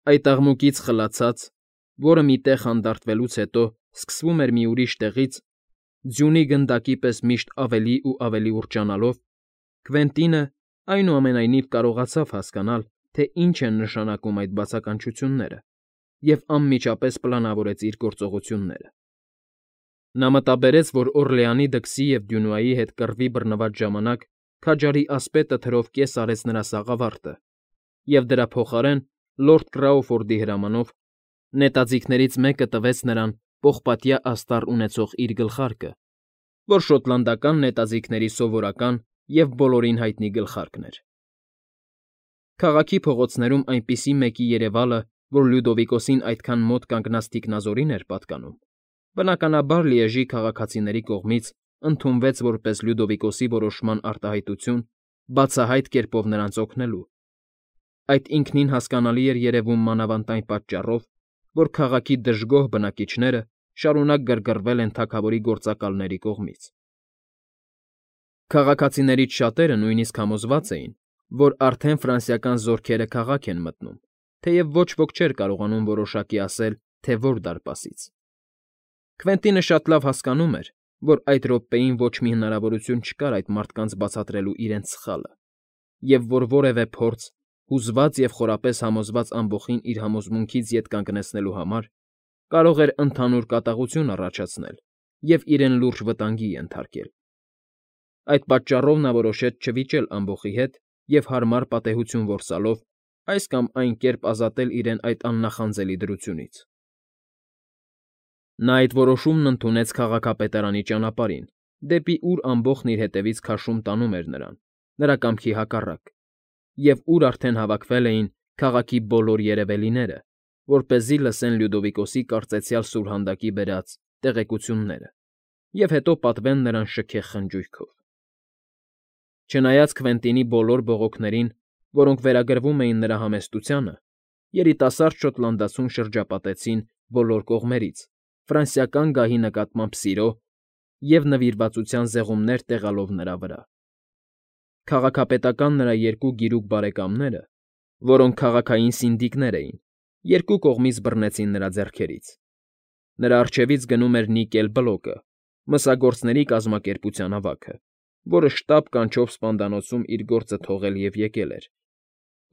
Այդ աղմուկից խլացած, որը մի տեղ հանդարտվելուց հետո սկսվում էր մի ուրիշ տեղից, ձյունի գնդակի պես միշտ ավելի ու ավելի ուռճանալով, Կվենտինը, այնուամենայնիվ, կարողացավ հասկանալ, թե ինչ են նշանակում այդ բացականչությունները, և անմիջապես պլանավորեց իր գործողությունները։ Նա մտաբերեց, որ Օռլեանի դքսի և Դյունուայի հետ կռվի բռնված ժամանակ քաջարի ասպետը թրով կես արեց նրա սաղավարտը, և դրա փոխարեն լորդ Կրաուֆորդի հրամանով նետաձիգներից մեկը տվեց նրան պողպատյա աստառ ունեցող իր գլխարկը, որ շոտլանդական նետաձիգների սովորական և բոլորին հայտնի գլխարկն էր։ Քաղաքի փողոցներում այնպիսի մեկի երևալը, որ Լյուդովիկոսին այդքան մոտ կանգնած թիկնազորին էր պատկանում, բնականաբար Լիեժի քաղաքացիների կողմից ընդունվեց որպես Լյուդովիկոսի որոշման արտահայտություն բացահայտ կերպով նրանց օգնելու։ Այդ ինքնին հասկանալի էր երևում մանավանդ այն պատճառով, որ քաղաքի դժգոհ բնակիչները շարունակ գրգռվել են թագավորի գործակալների կողմից։ Քաղաքացիներից շատերը նույնիսկ համոզված էին, որ արդեն ֆրանսիական զորքերը քաղաք են մտնում, թեև ոչ ոք չէր կարողանում որոշակի ասել, թե որ դարպասից։ Քվենտինը շատ լավ հասկանում էր, որ այդ րոպեին ոչ մի հնարավորություն չկար այդ մարդկանց բացատրելու իրենց սխալը, և որ որևէ փորձ, հուզված և խորապես համոզված ամբոխին իր համոզմունքից ետ կանգնեցնելու համար, կարող էր ընդհանուր կատաղություն առաջացնել և իրեն լուրջ վտանգի ենթարկել։ Այդ պատճառով նա որոշեց չվիճել ամբոխի հետ և հարմար պատեհություն որսալով այս կամ այն կերպ ազատել իրեն այդ աննախանձելի դրությունից։ Նա այդ որոշումն ընդունեց քաղաքապետարանի ճանապարհին, դեպի ուր ամբոխն իր հետևից քաշում տանում էր նրան, նրա կամքի հակառակ, և ուր արդեն հավաքվել էին քաղաքի բոլոր երևելիները, որպեսզի լսեն Լյուդովիկոսի կարծեցյալ սուրհանդակի բերած տեղեկությունները և հետո պատվեն նրան շքեղ խնջույքով։ Չնայած Քվենտինի բոլոր բողոքներին, որոնք վերագրվում էին նրա համեստությանը, երիտասարդ շոտլանդացուն շրջապատեցին բոլոր կողմերից, ֆրանսիական գահի նկատմամբ սիրո և նվիրվածության զեղումներ տեղալով նրա վրա։ Քաղաքապետական նրա երկու գիրուկ բարեկամները, որոնք քաղաքային սինդիկներ էին, երկու կողմից բռնեցին նրա ձեռքերից։ Նրա առջևից գնում էր Նիկել Բլոկը, մսագործների կազմակերպության հավաքը, որը շտապ կանչով սպանդանոցում իր գործը թողել և եկել էր,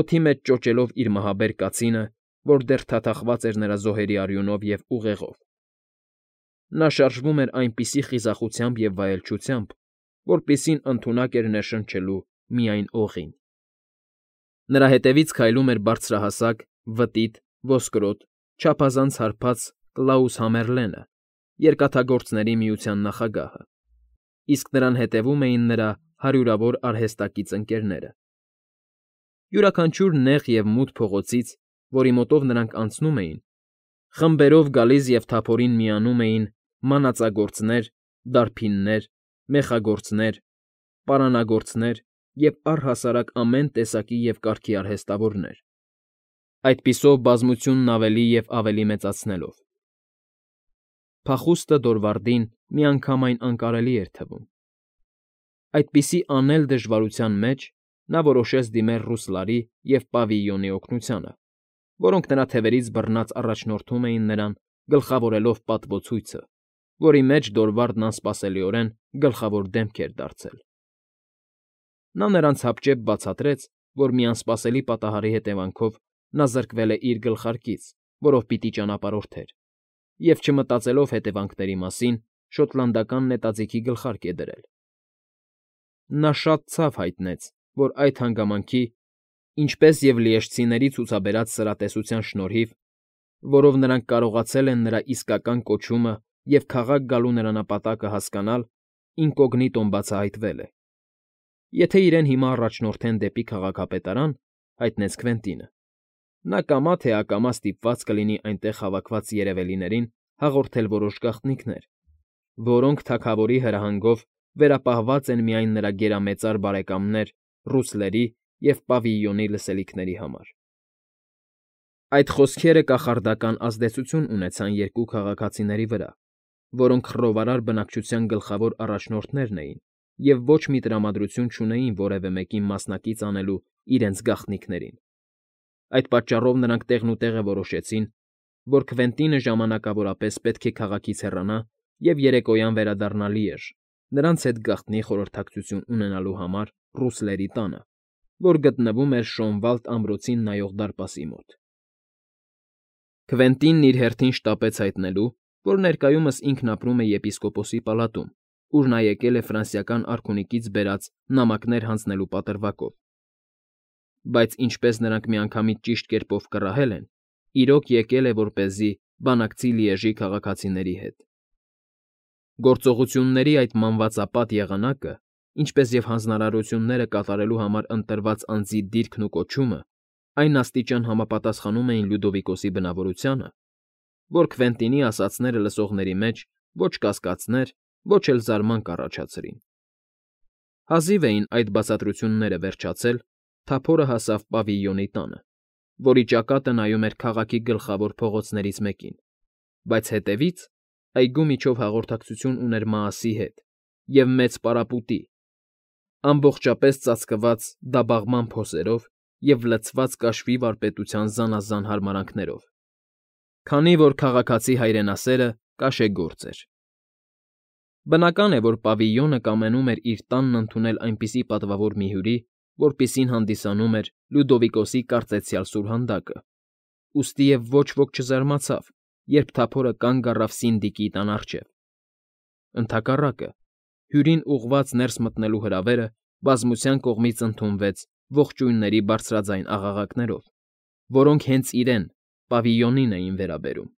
օդի մեջ ճոճելով իր մահաբեր կացինը, որ դեռ թաթախված էր նրա զոհերի արյունով և ուղեղով։ Նա շարժվում էր այնպիսի խիզախությամբ և վայելչությամբ, որպիսին ընդունակ էր ներշնչելու միայն օղին։ Նրա հետևից քայլում էր բարձրահասակ, վտիտ, ոսկրոտ, չափազանց հարբած Կլաուս Համերլենը, Երկաթագործների միության նախագահը, իսկ նրան հետևում էին նրա հարյուրավոր արհեստակից ընկերները։ Յուրաքանչյուր նեղ և մութ փողոցից, որի մոտով նրանք անցնում էին, խմբերով գալիս և թափորին միանում էին մանածագործներ, դարբիններ, մեխագործներ, պարանագործներ և առհասարակ ամեն տեսակի և կարգի արհեստավորներ, այդպիսով բազմությունն ավելի և ավելի մեծացնելով։ Փախուստը Դորվարդին միանգամայն անկարելի էր թվում։ Այդպիսի անել դժվարության մեջ նա որոշեց դիմել Ռուսլարի և Պավիյոնի օգնությանը, որոնք նրա թևերից բռնած առաջնորդում էին նրան, գլխավորելով պատվոցույցը, որի մեջ Դորվարդն անսպասելիորեն գլխավոր դեմք էր դարձել։ Նա նրանց հապճեպ բացատրեց, որ մի անսպասելի պատահարի հետևանքով նա զրկվել է իր գլխարկից, որով պիտի ճանապարհորդեր, և, չմտածելով հետևանքների մասին, շոտլանդական նետաձիգի գլխարկ է դրել։ Նա շատ ցավ հայտնեց, որ այդ հանգամանքի, ինչպես և լիեժցիների ցուցաբերած սրատեսության շնորհիվ, որով նրանք կարողացել են նրա իսկական կոչումը և քաղաք գալու նրա նպատակը հասկանալ, ինկոգնիտոն բացահայտվել է։ Եթե իրեն հիմա առաջնորդեն դեպի քաղաքապետարան, հայտնեց Քվենտինը, նա կամա թե ակամա ստիպված կլինի այնտեղ հավաքված երևելիներին հաղորդել որոշ գաղտնիքներ, որոնք թագավորի հրահանգով վերապահված են միայն նրա գերամեծար բարեկամներ Ռուսլերի և Պավիյոնի լսելիքների համար։ Այդ խոսքերը կախարդական ազդեցություն ունեցան երկու քաղաքացիների վրա, որոնք խռովարար բնակչության գլխավոր առաջնորդներն էին և ոչ մի տրամադրություն չունեին որևէ մեկին մասնակից անելու իրենց գաղտնիքներին։ Այդ պատճառով նրանք տեղնուտեղը որոշեցին, որ Քվենտինը ժամանակավորապես պետք է քաղաքից հեռանա և երեկոյան վերադառնա Լիեժ, նրանց հետ գաղտնի խորհրդակցություն ունենալու համար ռուսլերի տանը, որ գտնվում էր Շոնվալդ ամրոցին նայող դարպասի մոտ։ Քվենտինն իր հերթին շտապեց հայտնելու, որ ներկայումս ինքն ապրում է եպիսկոպոսի պալատում, ուր նա եկել է ֆրանսիական արքունիքից բերած նամակներ հանձնելու պատրվակով։ Բայց ինչպես նրանք միանգամից ճիշտ կերպով կռահել են, իրոք եկել է որպեսզի բանակցի Լիեժի քաղաքացիների հետ։ Գործողությունների այդ մանվածապատ եղանակը, ինչպես և հանձնարարությունները կատարելու համար ընտրված անձի դիրքն ու կոչումը այն աստիճան համապատասխանում էին Լյուդովիկոսի բնավորությանը, որ Քվենտինի ասածները լսողների մեջ ոչ կասկածներ, ոչ էլ զարման կառաջացրին։ Հազիվ էին այդ բացատրությունները վերջացել, թափորը հասավ պավիլյոնի տանը, որի ճակատը նայում էր քաղաքի գլխավոր փողոցներից մեկին, բայց հետևից այգու միջով հաղորդակցություն ուներ Մաասի հետ և մեծ պարապուտի, ամբողջապես ծածկված դաբաղման փոսերով և լցված կաշվի վարպետության զանազան հարմարանքներով, քանի որ քաղաքացի հայրենասերը կաշեգործ էր։ Բնական է, որ պավիլյոնը կամենում էր իր տանն ընդունել այնպիսի պատվավոր մի հյուրի, որպիսին հանդիսանում էր Լյուդովիկոսի կարծեցյալ սուրհանդակը, ուստիև ոչ ոք չզարմացավ, երբ թափորը կանգ առավ սինդիկի տան առջև։ Ընդհակառակը, հյուրին ուղղված ներս մտնելու հրավերը բազմության կողմից ընդունվեց ողջույնների բարձրաձայն աղաղակներով, որոնք հենց իրեն՝ պավիլյոնին էին վերաբերում։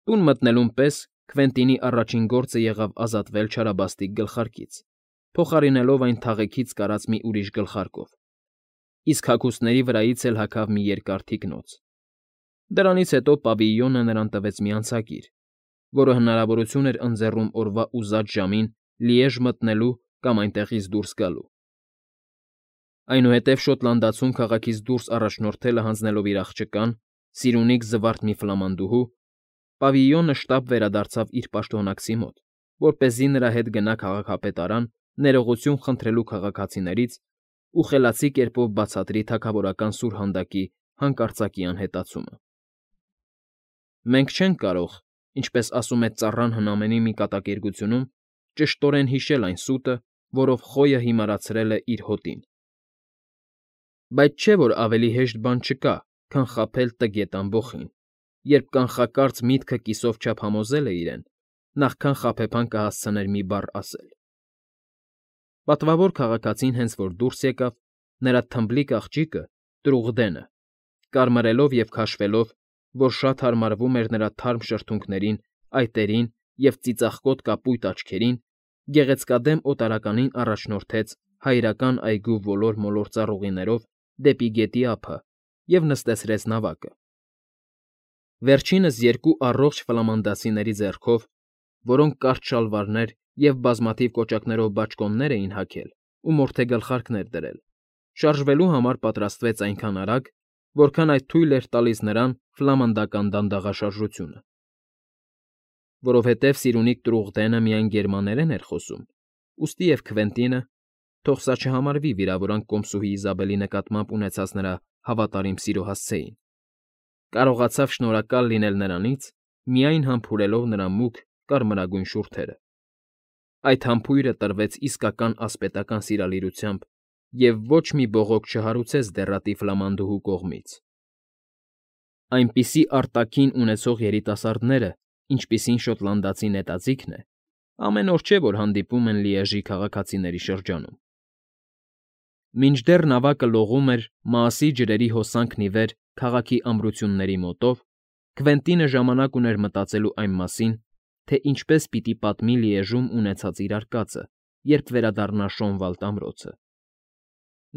Տուն մտնելուն պես Քվենտինի առաջին գործը եղավ ազատվել չարաբաստիկ գլխարկից, փոխարինելով այն թաղեքից կարած մի ուրիշ գլխարկով, իսկ հագուստների վրայից էլ հագավ մի երկար թիկնոց։ Դրանից հետո պավիլյոնը նրան տվեց մի անցագիր, որը հնարավորություն էր ընձեռում օրվա ուզած ժամին Լիեժ մտնելու կամ այնտեղից դուրս գալու։ Այնուհետև շոտլանդացուն քաղաքից դուրս առաջնորդելը հանձնելով իր աղջկան, սիրունիկ զվարթ մի ֆլամանդուհու, պավիլյոնը շտապ վերադարձավ իր պաշտոնակցի մոտ, որպեսզի նրա հետ գնա քաղաքապետարան ներողություն խնդրելու քաղաքացիներից ու խելացի կերպով բացատրի թագավորական սուրհանդակի հանկարծակի անհետացումը։ Մենք չենք կարող, ինչպես ասում է ծառան հնամենի մի կատակերգությունում, ճշտորեն հիշել այն սուտը, որով խոյը հիմարացրել է իր հոտին։ Բայց չէ՞ որ ավելի հեշտ բան չկա, քան խաբել տգետ ամբոխին, երբ կանխակարծ միտքը կիսով չափ համոզել է իրեն, նախքան խաբեբան կհասցներ մի բառ ասել։ Պատվավոր քաղաքացին հենց որ դուրս եկավ, նրա թմբլիկ աղջիկը՝ Տրուղդենը, կարմրելով և քաշվելով, որ շատ հարմարվում էր նրա թարմ շրթունքներին, այտերին և ծիծաղկոտ կապույտ աչքերին, գեղեցկադեմ օտարականին առաջնորդեց հայրական այգու ոլոր֊մոլոր ծառուղիներով դեպի գետի ափը և նստեցրեց նավակը։ Վերջինս երկու առողջ ֆլամանդացիների ձեռքով, որոնք կարճ շալվարներ և բազմաթիվ կոճակներով բաճկոններ էին հագել ու մորթե գլխարկներ դրել, շարժվելու համար պատրաստվեց այնքան արագ, որքան այդ թույլ էր տալիս նրան ֆլամանդական դանդաղաշարժությունը։ Որովհետև Սիրունիկ Տրուղդենը միայն գերմաներեն էր խոսում, ուստիև Քվենտինը, թող սա չհամարվի վիրավորանք կոմսուհի Իզաբելի նկատմամբ ունեցած նրա հավատարիմ սիրո հասցեին, կարողացավ շնորհակալ լինել նրանից, միայն համբուրելով նրա մուգ կարմրագույն շուրթերը։ Այդ համբույրը տրվեց իսկական ասպետական սիրալիրությամբ և ոչ մի բողոք չհարուցեց դեռատի ֆլամանդուհու կողմից։ Այնպիսի արտաքին ունեցող երիտասարդները, ինչպիսին շոտլանդացի նետաձիգն է, ամեն օր չէ, որ հանդիպում են Լիեժի քաղաքացիների շրջանում։ Մինչդեռ նավակը լողում էր Մաասի ջրերի հոսանքն ի վեր քաղաքի ամրությունների մոտով, Քվենտինը ժամանակ ուներ մտածելու այն մասին, թե ինչպես պիտի պատմի Լիեժում ունեցած իր արկածը, երբ վերադառնա Շոնվալդ ամրոցը։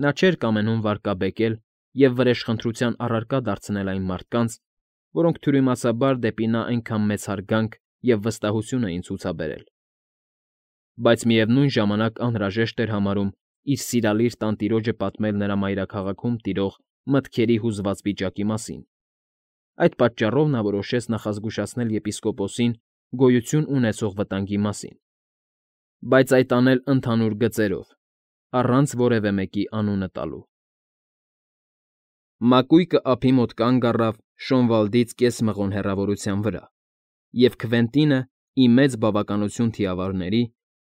Նա չէր կամենում վարկաբեկել և վրեժխնդրության առարկա դարձնել այն մարդկանց, որոնք թյուրիմացաբար դեպի նա այնքան մեծ հարգանք և վստահություն էին ցուցաբերել, բայց միևնույն ժամանակ անհրաժեշտ էր համարում իր սիրալիր տանտիրոջը պատմել նրա մայրաքաղաքում տիրող մտքերի հուզված վիճակի մասին։ Այդ պատճառով նա որոշեց նախազգուշացնել եպիսկոպոսին գոյություն ունեցող վտանգի մասին։ բայց այդ անել ընդհանուր գծերով, առանց որևէ մեկի անունը տալու։ Մակույկը ափի մոտ կանգ առավ Շոնվալդից կես մղոն հեռավորության վրա, և Քվենտինը, ի մեծ բավականություն թիավարների,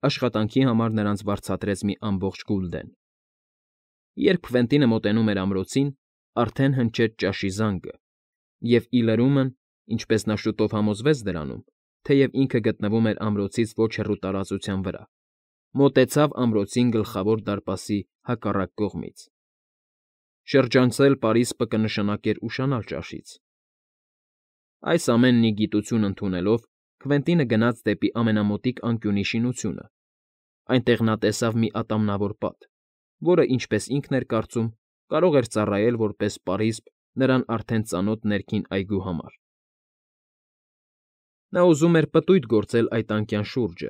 աշխատանքի համար նրանց վարձատրեց մի ամբողջ գուլդեն։ Երբ Քվենտինը մոտենում էր ամրոցին, արդեն հնչեց ճաշի զանգը, և ի լրումն, ինչպես նա շուտով համոզվեց դրանում, թեև ինքը գտնվում էր ամրոցից ոչ հեռու տարածության վրա, մոտեցավ ամրոցին Գլխավոր դարպասի հակառակ կողմից։ Շրջանցել պարիսպը կնշանակեր ուշանալ ճաշից։ Այս ամենն ի գիտություն ընդունելով, Քվենտինը գնաց դեպի ամենամոտիկ անկյունի շինությունը։ Այնտեղ նա տեսավ մի ատամնավոր պատ, որը, ինչպես ինքն էր կարծում, կարող էր ծառայել որպես պարիսպ նրան արդեն ծանոթ ներքին այգու համար։ Նա ուզում էր պտույտ գործել այդ անկյան շուրջը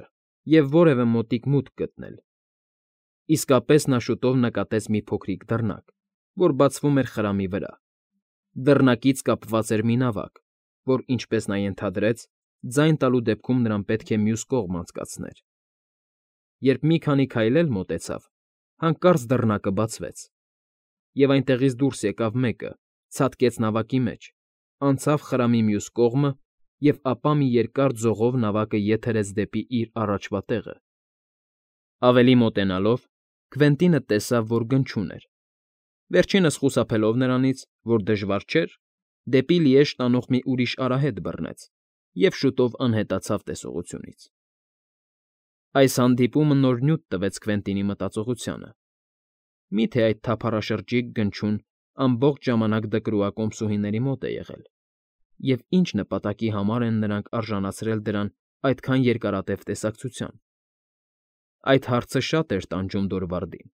և որևէ մոտիկ մուտք գտնել։ Իսկապես նա շուտով նկատեց մի փոքրիկ դռնակ, որ բացվում էր խրամի վրա։ Դռնակից կապված էր մի նավակ, որ, ինչպես նա ենթադրեց, ձայն տալու դեպքում նրան պետք է մյուս կողմ անցկացներ։ Երբ մի քանի քայլ էլ մոտեցավ, հանկարծ դռնակը բացվեց, և այնտեղից դուրս եկավ մեկը, ցատկեց նավակի մեջ, անցավ խրամի մյուս կողմը և ապա մի երկար ձողով նավակը եթերեց դեպի իր առաջվա տեղը։ Ավելի մոտենալով՝ Քվենտինը տեսավ, որ գնչուն էր։ Վերջինս խուսափելով նրանից, որ դժվար չէր, դեպի Լիեժ տանող մի ուրիշ արահետ բռնեց և շուտով անհետացավ տեսողությունից։ Այս հանդիպումը նոր նյութ տվեց Քվենտինի մտածողությանը։ Մի՞թե այդ թափառաշրջիկ գնչուն ամբողջ ժամանակ դկրուակոմսուհիների մոտ է եղել, և ինչ նպատակի համար են նրանք արժանացրել դրան այդքան երկարատև տեսակցության։ Այդ հարցը շատ էր տանջում Դորվարդին,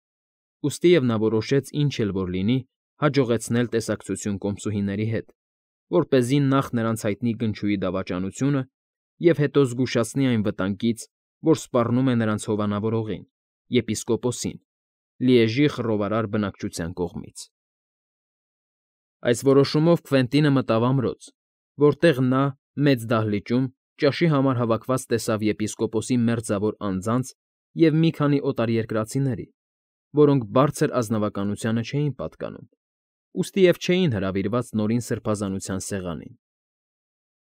ուստիև նա որոշեց ինչ էլ որ լինի, հաջողեցնել տեսակցություն կոմսուհիների հետ, որպեսզի նախ նրանց հայտնի գնչուի դավաճանությունը և հետո զգուշացնի այն վտանգից, որ սպառնում է նրանց հովանավորողին, եպիսկոպոսին, Լիեժի խռովարար բնակչության կողմից։ Այս որոշումով Քվենտինը մտավ ամրոց, որտեղ նա, մեծ դահլիճում, ճաշի համար հավաքված տեսավ եպիսկոպոսի մերձավոր անձանց և մի քանի օտարերկրացիների, որոնք բարձր ազնվականությանը չէին պատկանում, ուստիև չէին հրավիրված նորին սրբազանության սեղանին։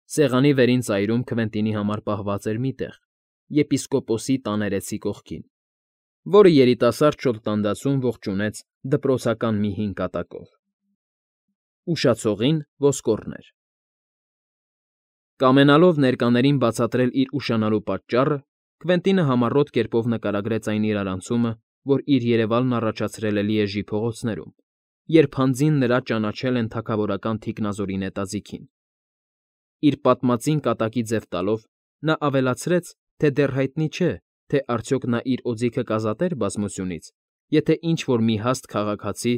Սեղանի վերին ծայրում Քվենտինի համար պահված էր մի տեղ, եպիսկոպոսի տաներեցի կողքին, որը երիտասարդ շոտլանդացուն ողջունեց դպրոցական մի հին կատակով։ Ուշացողին ոսկորն էր։ Կամենալով ներկաներին բացատրել իր ուշանալու պատճառը, Քվենտինը համառոտ կերպով նկարագրեց այն իրարանցումը, որ իր երևալն առաջացրել է Լիեժի փողոցներում, երբ հանձին նրա ճանաչել են թագավորական թիկնազորի նետաձիգին։ Իր պատմածին կատակի ձև տալով՝ նա ավելացրեց, թե դեռ հայտնի չէ, թե արդյոք նա իր օձիքը կազատեր բազմությունից, եթե ինչ֊որ մի հաստ քաղաքացի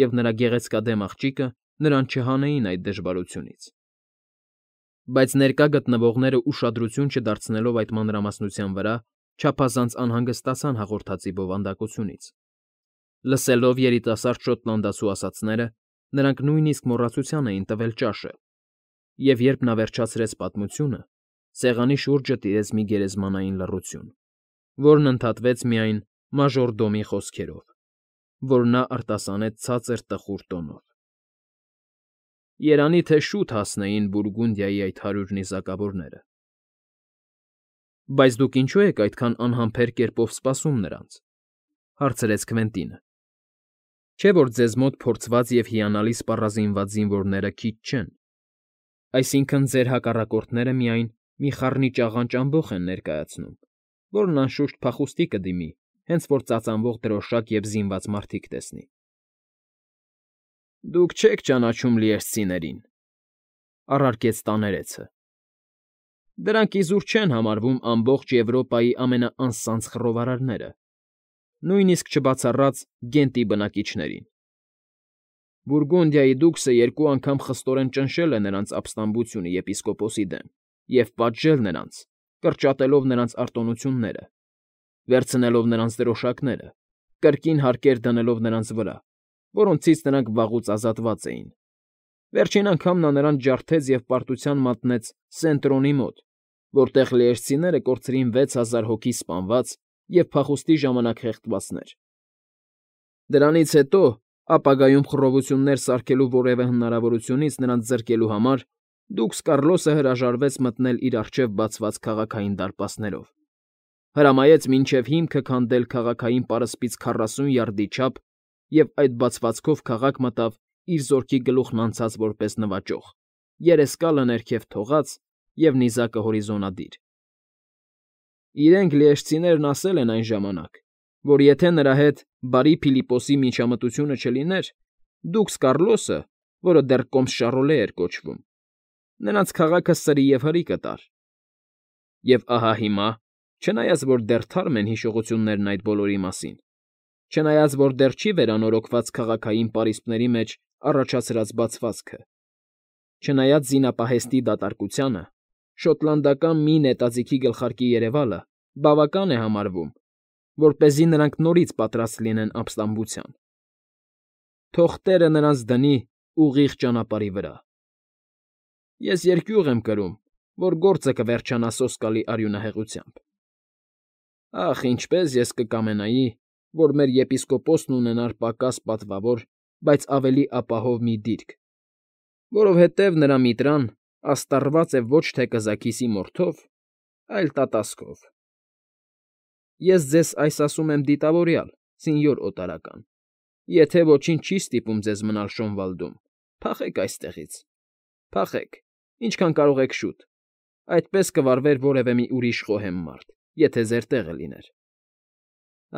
և նրա գեղեցկադեմ աղջիկը նրան չհանեին այդ դժվարությունից։ Բայց ներկա գտնվողները ուշադրություն չդարձնելով այդ մանրամասնության վրա, չափազանց անհանգստացան հաղորդածի բովանդակությունից։ Լսելով երիտասարդ շոտլանդացու ասածները, նրանք նույնիսկ մոռացության էին տվել ճաշը, և երբ նա վերջացրեց պատմությունը, սեղանի շուրջը տիրեց մի գերեզմանային լռություն, որն ընդհատվեց միայն մաժորդոմի խոսքերով, որ նա արտասանեց ցածր տխուր տոնով. «Երանի թե շուտ հասնեին Բուրգունդիայի այդ 100 նիզակավորները»։ ֊ Բայց դուք ինչո՞ւ եք այդքան անհամբեր կերպով սպասում նրանց,֊ հարցրեց Քվենտինը։ ֊ Չէ՞ որ ձեզ մոտ փորձված և հիանալի սպառազինված զինվորները քիչ չեն, այսինքն՝ ձեր հակառակորդները միայն մի խառնիճ աղանճ ամբոխ են ներկայացնում, որն անշուշտ փախուստի կդիմի, հենց որ ծածանվող դրոշակ և զինված մարդիկ տեսնի։ ֊ Դուք չեք ճանաչում լիեժցիներին,֊ առարկեց տաներեցը։ «Դրանք իզուր չեն համարվում ամբողջ Եվրոպայի ամենաանսանձ խռովարարները, նույնիսկ չբացառած Գենտի բնակիչներին։ Բուրգունդիայի դուքսը երկու անգամ խստորեն ճնշել է նրանց ապստամբությունը եպիսկոպոսի դեմ և պատժել նրանց, կրճատելով նրանց արտոնությունները, վերցնելով նրանց դրոշակները, կրկին հարկեր դնելով նրանց վրա, որոնցից նրանք վաղուց ազատված էին։ Վերջին անգամ նա նրանց ջարդեց և պարտության մատնեց Սեն֊Տրոնի մոտ, որտեղ լիեժցիները կորցրին 6000 հոգի սպանված և փախուստի ժամանակ խեղդվածներ։ Դրանից հետո, ապագայում խռովություններ սարքելու որևէ հնարավորությունից նրանց զրկելու համար, դուքս Կառլոսը հրաժարվեց մտնել իր առջև բացված քաղաքային դարպասներով, հրամայեց մինչև հիմքը քանդել քաղաքային պարսպից 40 յարդի չափ և այդ բացվածքով քաղաք մտավ իր զորքի գլուխն անցած որպես նվաճող, երեսկալը ներքև թողած և նիզակը հորիզոնադիր։ Իրենք լիեշտցիներն ասել են այն ժամանակ, որ եթե նրա հետ բարի Փիլիպպոսի միջամտությունը չլիներ, դուքս Կառլոսը, որը դեռ Կոմս֊Շարոլե էր կոչվում, նրանց քաղաքը սրի և հրի կտար։ Եվ ահա հիմա, չնայած որ դեռ թարմ են հիշողություններն այդ բոլորի մասին, չնայած որ դեռ չի վերանորոգված քաղաքային պարիսպների մեջ առաջացրած բացվածքը, չնայած զինապահեստի դատարկությանը, շոտլանդական մի նետաձիգի գլխարկի երևալը բավական է համարվում, որպեսզի նրանք նորից պատրաստ լինեն ապստամբության։ Թող Տերը նրանց դնի ուղիղ ճանապարհի վրա։ Ես երկյուղ եմ կրում, որ գործը կվերջանա սոսկալի արյունահեղությամբ։ Ախ, ինչպես ես կկամենայի, որ մեր եպիսկոպոսն ունենար պակաս պատվավոր, բայց ավելի ապահով մի դիրք, որովհետև նրա միտրան աստառված է ոչ թե կզաքիսի մորթով, այլ տատասկով։ Ես ձեզ այս ասում եմ դիտավորյալ, սենյոր օտարական, եթե ոչինչ չի ստիպում ձեզ մնալ Շոնվալդում, փախեք այստեղից, փախեք, ինչքան կարող եք շուտ, այդպես կվարվեր որևէ մի ուրիշ խոհեմ մարդ, եթե ձեր տեղը լիներ։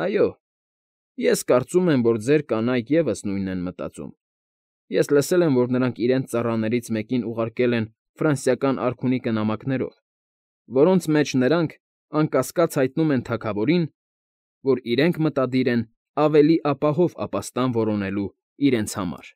Այո, ես կարծում եմ, որ ձեր կանայք ևս նույնն են մտածում։ Ես լսել եմ, որ նրանք իրենց ծառաներից մեկին ուղարկել են ֆրանսիական արքունիքը նամակներով, որոնց մեջ նրանք անկասկած հայտնում են թագավորին, որ իրենք մտադիր են ավելի ապահով ապաստան որոնելու իրենց համար։